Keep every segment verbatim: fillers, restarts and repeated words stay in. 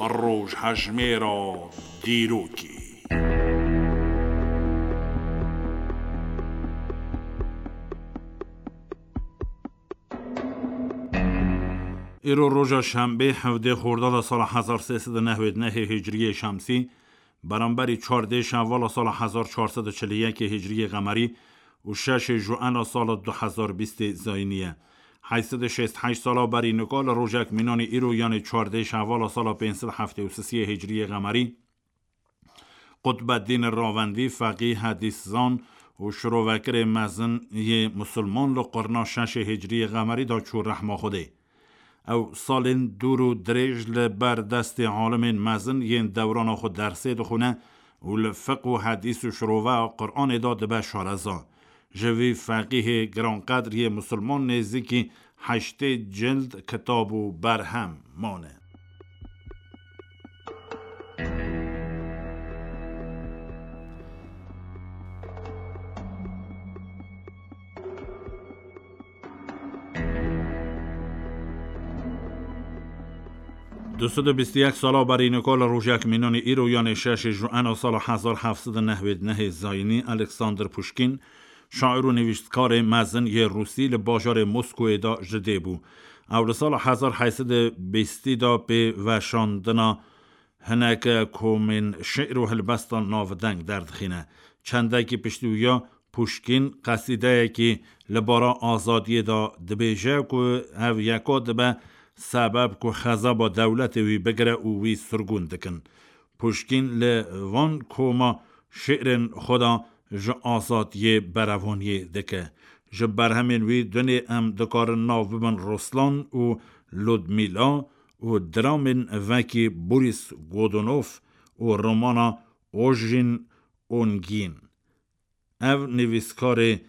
Rojhejmêra dîrokê. Îro roja şembê, hevdê Xordada sala hezar sê sed û nehwêd nehê hicriyê şemsî, beramberî çardê Şevala sala hezar çar sed û çil û yekê hicriyê qemerî û şeşê Juena sala du hezar bîstê zayînî ye. Heyt sed û şêst heşt sala berî nika li rojek mînanî îro, yanê çardê Şevala sala pênc sed heftê û sisiyê hicriyê qemerî, Qutbeddîn Ravendî, feqî, hedîszan û şirovekirê mezin yê musulman li qurna şeşê hicriyê qemerî de çû rehma Xwedê. Ew salên dûr û dirêj li ber destê alimên mezin yên dewrana xwe dersê dixwîne û li fiq û hedîs û şiroveya Quranê de dibe şareza. Ji vî feqîhê giranqedr yê musulman nêzîkî heştê cild kitab û berhem mane. Du sed û bîst û yek sala berî nika li rojek mînanî îro, yanê şeşê Juena sala hezar heft sed û nehwêd nehê zayînî, Alexander Puşkîn, şair û nivîskarê mezin yê Rûsî, li bajarê Moskowê de ji dê bû. Ew li sala hezar heyt sed û bîstî de pê veşandina hinek komên şi'r û helbesta navdeng derdixîne. Çendekî piştî wî ya Puşkîn qesîdeyekî li bara azadiyê de dibêje ku ev yeka dibe sebeb ku xezaba dewletê wî bigire û wî sirgûn dikin. Puşkîn li van koma şi'rên xwe de ji azadiyê berevaniyê dike. Ji berhemên wî dunê em dikarin nav bibin Ruslan û Ludmîla û dramên vekî Boris Godunov û romana Ojin Ongin. Ev nivîskarê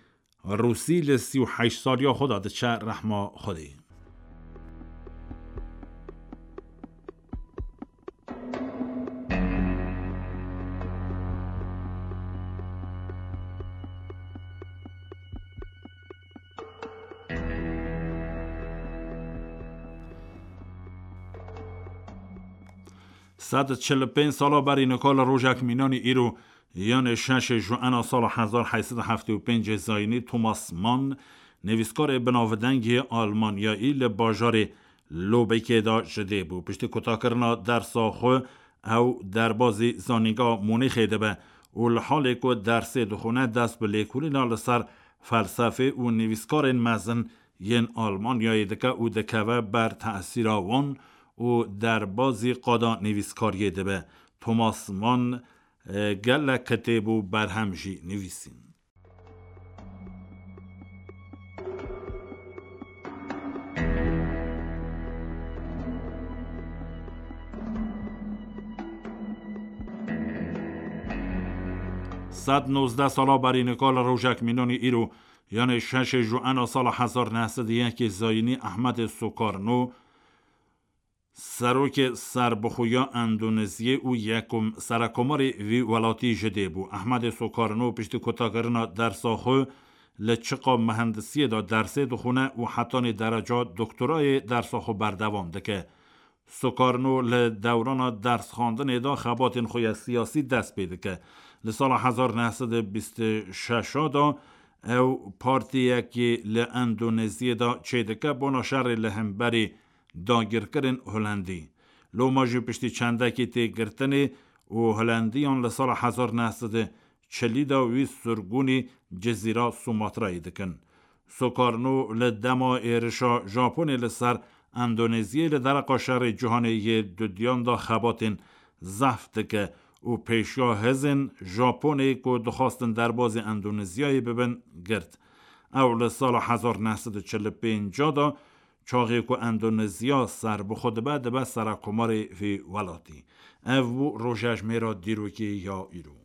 Rûsî li sî û heşt saliya xwe de diçe rehma Xwedê. Sed çil û pênc sala berî nika li rojek mînanî îro, yanê şeşê Juena sala hezar heyt sed û heftê û pêncê zayînî, Thomas Mann, nivîskarê binavdeng yê Almanyayî, li bajarê Lobekê de ji dê bû. Piştî kutakirina dersa xwe ew derbazî zanîngeha Munîxê dibe û li halê ku dersê dixwine, dest bi lêkolîna li ser felsefê û nivîskarên mezin yên Almanyayê dike û dikeve ber tesîra wan û derbazî qada nivîskariyê dibe. Thomas Mann, e, gelek kitêb û berhem jî nivîsîn. Sed nozdeh sala berî nika li rojek mînanî îro, yanê şeşê Juena sala hezar neh sed û yekê zayînî, Ehmedê Sukarno, serokê serbixwe ya Endoneziyê û yekum serekomarê vî welatî ji dê bû. Ehmedê Sukarno piştî kutakirina dersa xwe li çiqa mihendisiyê de dersê dixwine û hetanî dereca doktorayê dersa xwe berdewam dike. Sukarno li dewrana dersxwendinê de xebatên xwe ya siyasî dest pê dike. Li sala hezar neh sed û bîst û şeş de ew partiyekê li Endoneziyê de çêdike bona şerê li hemberî dagirkirin Holendî. Loma jî piştî çendekî têgirtinê û Holendiyan li sala hezar neh sed û çilî de wî sirgûnî Cizîra Sumatrayê dikin. Sukarno li dema êrişa Japonê li ser Endoneziyê li dereqa şerê cîhanê yê dudiyan de xebatên zehf dike û pêşiya hêzên Japonê ku dixwastin derbazî Endoneziyayê bibin, girt. Ew li sala hezar neh sed û çil û pênc de, çaxê ku Endoneziya serbixwe dibe, dibe serekomarê vî welatî. Ev bû rojejmêra dîrokê ya îro.